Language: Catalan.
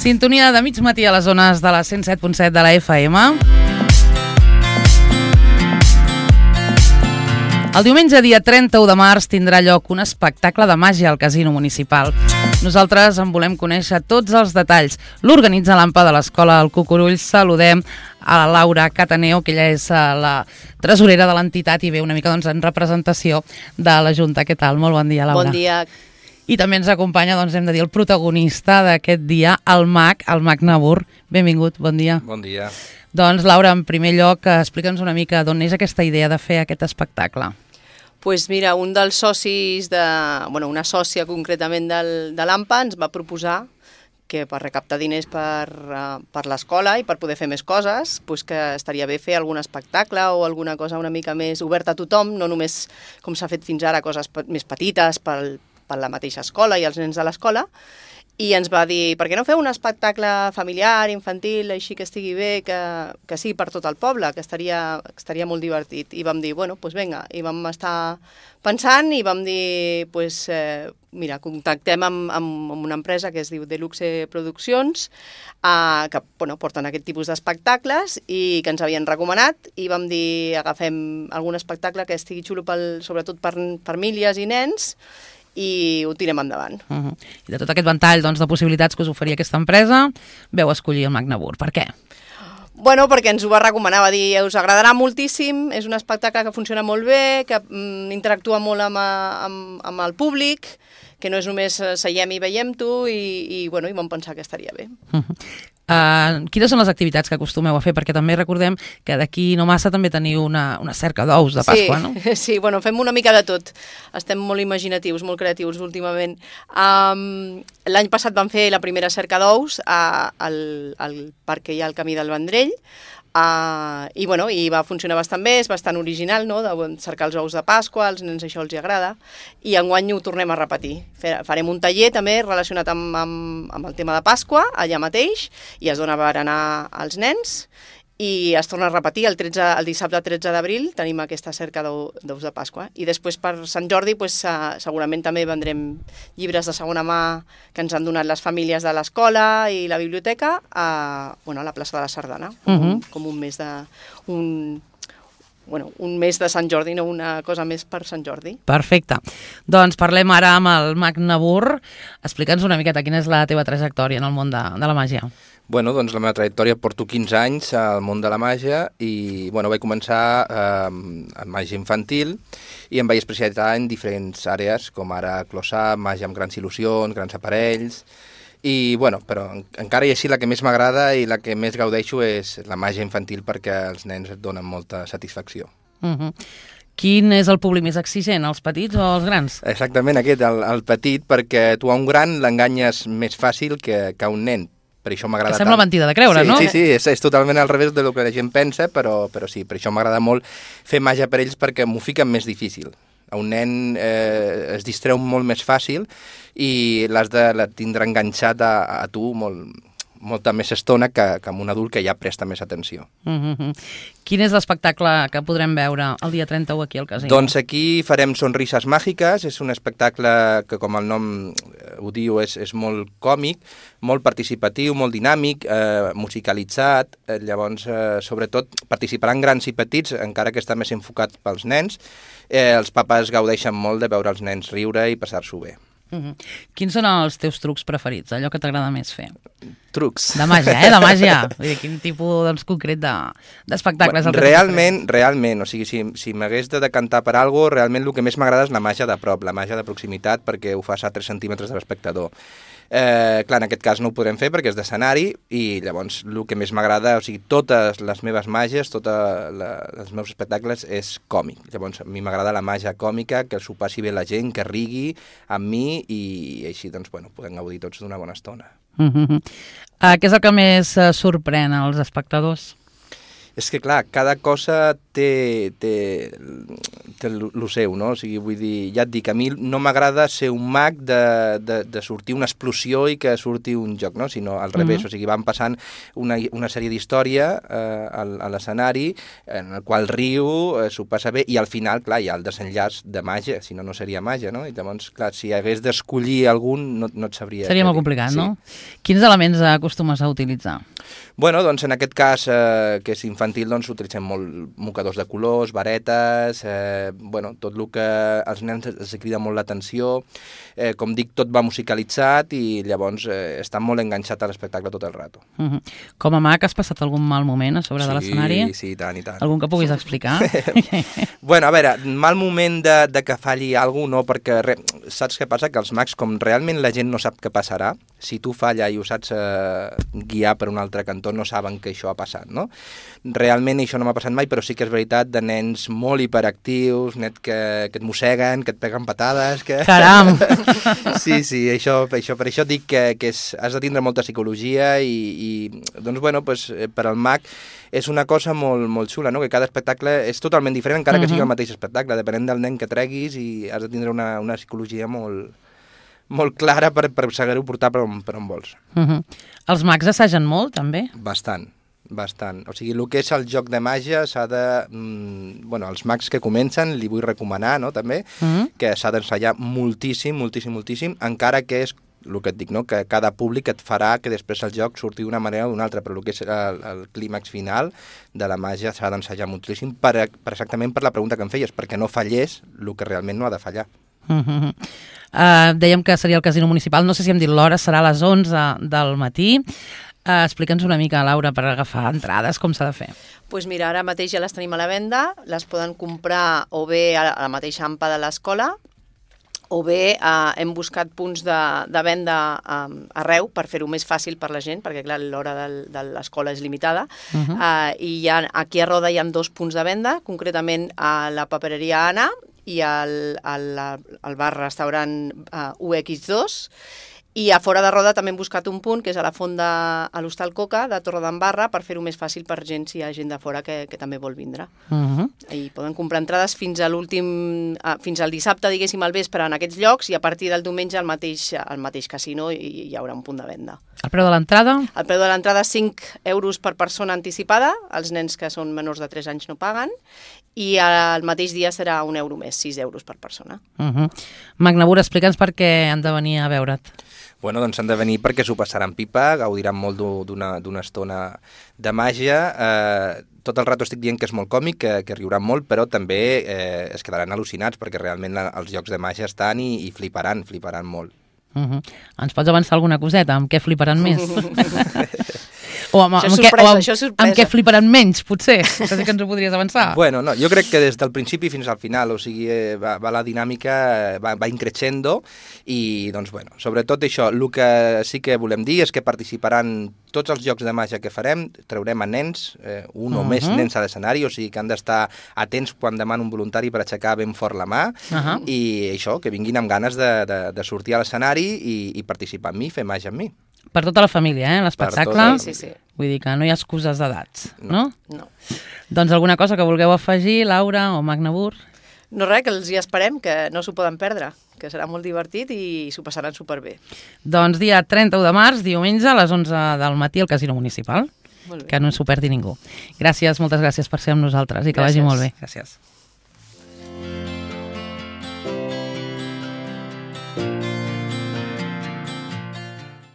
Sintonia de mig matí a les zones de la 107.7 de la FM. El diumenge, dia 31 de març, tindrà lloc un espectacle de màgia al Casino Municipal. Nosaltres en volem conèixer tots els detalls. L'organitza l'AMPA de l'Escola del Cucurull. Saludem a la Laura Cataneo, que ella és la tresorera de l'entitat i ve una mica en representació de la Junta. Què tal? Molt bon dia, Laura. Bon dia. I també ens acompanya, hem de dir, el protagonista d'aquest dia, el mag Nabur. Benvingut, bon dia. Bon dia. Doncs, Laura, en primer lloc, explica'ns una mica d'on és aquesta idea de fer aquest espectacle. Pues mira, un dels socis, una sòcia concretament de l'AMPA ens va proposar que per recaptar diners per l'escola i per poder fer més coses, pues que estaria bé fer algun espectacle o alguna cosa una mica més oberta a tothom, no només com s'ha fet fins ara, coses més petites per la mateixa escola i els nens de l'escola, i ens va dir, per què no feu un espectacle familiar, infantil, així que estigui bé, que sigui per tot el poble, que estaria molt divertit. I vam dir, doncs vinga, i vam estar pensant i vam dir, mira, contactem amb una empresa que es diu Deluxe Produccions, que porten aquest tipus d'espectacles i que ens havien recomanat, i vam dir, agafem algun espectacle que estigui xulo sobretot per famílies i nens, i ho tirem endavant. I de tot aquest ventall de possibilitats que us oferia aquesta empresa, veu escollir el Mag Nabur. Per què? Bueno, perquè ens ho va recomanar, va dir, us agradarà moltíssim, és un espectacle que funciona molt bé, que interactua molt amb el públic, que no és només seiem i veiem-t'ho, i vam pensar que estaria bé. Quines són les activitats que acostumeu a fer? Perquè també recordem que d'aquí no massa també teniu una cerca d'ous de Pasqua, no? Sí, fem una mica de tot. Estem molt imaginatius, molt creatius últimament. L'any passat vam fer la primera cerca d'ous al parc que hi ha al Camí del Vendrell, i va funcionar bastant bé, és bastant original, no?, de cercar els ous de Pasqua, als nens això els agrada, i enguany ho tornem a repetir. Farem un taller també relacionat amb el tema de Pasqua, allà mateix, i es dona per anar als nens, i es torna a repetir el dissabte 13 d'abril, tenim aquesta cerca d'ous de Pasqua. I després per Sant Jordi segurament també vendrem llibres de segona mà que ens han donat les famílies de l'escola i la biblioteca a la plaça de la Sardana, com un mes de Sant Jordi, no una cosa més per Sant Jordi. Perfecte. Doncs parlem ara amb el Mag Nabur. Explica'ns una miqueta quina és la teva trajectòria en el món de la màgia. Bueno, doncs la meva trajectòria, porto 15 anys al món de la màgia i vaig començar amb màgia infantil i em vaig especialitzar en diferents àrees, com ara close-up, màgia amb grans il·lusions, grans aparells, però encara i així la que més m'agrada i la que més gaudeixo és la màgia infantil perquè els nens et donen molta satisfacció. Quin és el públic més exigent, els petits o els grans? Exactament aquest, el petit, perquè tu a un gran l'enganyes més fàcil que a un nen. Per això m'agrada tant. Que sembla mentida de creure, no? Sí, és totalment al revés del que la gent pensa, però sí, per això m'agrada molt fer màgia per ells perquè m'ho fiquen més difícil. A un nen es distreu molt més fàcil i l'has de tindre enganxat a tu molta més estona que amb un adult que ja presta més atenció. Quin és l'espectacle que podrem veure el dia 31 aquí al Casino? Doncs aquí farem Sonrises Màgiques, és un espectacle que, com el nom ho diu, és molt còmic, molt participatiu, molt dinàmic, musicalitzat, llavors sobretot participaran grans i petits, encara que està més enfocat pels nens. Els papes gaudeixen molt de veure els nens riure i passar-s'ho bé. Quins són els teus trucs preferits, allò que t'agrada més fer? Trucs. De màgia, de màgia. Vull dir, quin tipus concret d'espectacles? Realment, o sigui, si m'hagués de decantar per alguna cosa, realment el que més m'agrada és la màgia de prop, la màgia de proximitat, perquè ho fas a 3 centímetres de l'espectador. Clar, en aquest cas no ho podrem fer perquè és d'escenari i llavors el que més m'agrada, o sigui, totes les meves màgies, tots els meus espectacles és còmic. Llavors a mi m'agrada la màgia còmica, que s'ho passi bé la gent, que rigui amb mi i així doncs, podem gaudir tots d'una bona estona. Què és el que més sorprèn als espectadors? És que, clar, cada cosa té lo seu, no? O sigui, vull dir, ja et dic, a mi no m'agrada ser un mag de sortir una explosió i que surti un joc, no? Sinó al revés, o sigui, van passant una sèrie d'història a l'escenari en el qual riu, s'ho passa bé, i al final, clar, hi ha el desenllaç de màgia, si no, no seria màgia, no? I llavors, clar, si hagués d'escollir algun, no et sabria... Seria molt complicat, no? Quins elements acostumes a utilitzar? Bueno, doncs en aquest cas, que és infantil, doncs utilitzem molt mocadors de colors, varetes, bueno, tot el que als nens els crida molt l'atenció. Com dic, tot va musicalitzat i llavors estan molt enganxats a l'espectacle tot el rato. Com a mag, has passat algun mal moment a sobre de l'escenari? Sí, i tant, i tant. Algun que puguis explicar? Bueno, a veure, mal moment de que falli alguna cosa, no, perquè saps què passa? Que els mags, com realment la gent no sap què passarà, si tu falla i ho saps guiar per un altre cantó, no saben que això ha passat, no? Realment això no m'ha passat mai, però sí que és veritat de nens molt hiperactius, que et mosseguen, que et peguen patades... Caram! Sí, per això dic que has de tindre molta psicologia i doncs, bueno, pues, per al mag és una cosa molt, molt xula, no? Que cada espectacle és totalment diferent, encara que sigui el mateix espectacle, depenent del nen que treguis, i has de tindre una psicologia molt clara per saber-ho portar per on vols. Els mags assagen molt, també? Bastant. O sigui, el que és el joc de màgia s'ha de... Bueno, els mags que comencen, li vull recomanar, no?, també, que s'ha d'ensenyar moltíssim, encara que és el que et dic, no?, que cada públic et farà que després el joc surti d'una manera o d'una altra, però el que és el clímax final de la màgia s'ha d'ensenyar moltíssim exactament per la pregunta que em feies, perquè no fallés el que realment no ha de fallar. Dèiem que seria el Casino Municipal, no sé si hem dit l'hora, serà a les 11 del matí. Explica'ns una mica, Laura, per agafar entrades, com s'ha de fer. Doncs mira, ara mateix ja les tenim a la venda, les poden comprar o bé a la mateixa AMPA de l'escola, o bé hem buscat punts de venda arreu per fer-ho més fàcil per la gent, perquè clar, l'hora de l'escola és limitada, i aquí a Roda hi ha 2 punts de venda, concretament a la papereria Anna i al bar-restaurant UX2, i a fora de Roda també hem buscat un punt, que és a la font a l'Hostal Coca, de Torredembarra, per fer-ho més fàcil per gent, si hi ha gent de fora que també vol vindre. I poden comprar entrades fins al dissabte, diguéssim, al vespre en aquests llocs, i a partir del diumenge al mateix casino hi haurà un punt de venda. El preu de l'entrada? El preu de l'entrada és 5 euros per persona anticipada, els nens que són menors de 3 anys no paguen, i el mateix dia serà 1 euro més, 6 euros per persona. Magnabur, explica'ns per què han de venir a veure't. Bueno, doncs han de venir perquè s'ho passaran pipa, gaudiran molt d'una estona de màgia. Tot el rato estic dient que és molt còmic, que riuran molt, però també es quedaran al·lucinats perquè realment els jocs de màgia estan i fliparan molt. Ens pots avançar alguna coseta? Amb què fliparan més? Això és sorpresa. Amb què fliparan menys, potser? Això sí que ens ho podries avançar. Bueno, no, jo crec que des del principi fins al final, o sigui, va la dinàmica, va increixendo, i doncs, bueno, sobretot això, el que sí que volem dir és que participaran tots els jocs de màgia que farem, traurem a nens, un o més nens a l'escenari, o sigui que han d'estar atents quan demana un voluntari per aixecar ben fort la mà, i això, que vinguin amb ganes de sortir a l'escenari i participar amb mi, fer màgia amb mi. Per tota la família, l'espectacle? Sí. Vull dir que no hi ha excuses d'edats, no? No. Doncs alguna cosa que vulgueu afegir, Laura o Magnabur? No res, que els hi esperem, que no s'ho poden perdre, que serà molt divertit i s'ho passaran superbé. Doncs dia 31 de març, diumenge, a les 11 del matí al Casino Municipal. Que no s'ho perdi ningú. Gràcies, moltes gràcies per ser amb nosaltres i que vagi molt bé. Gràcies.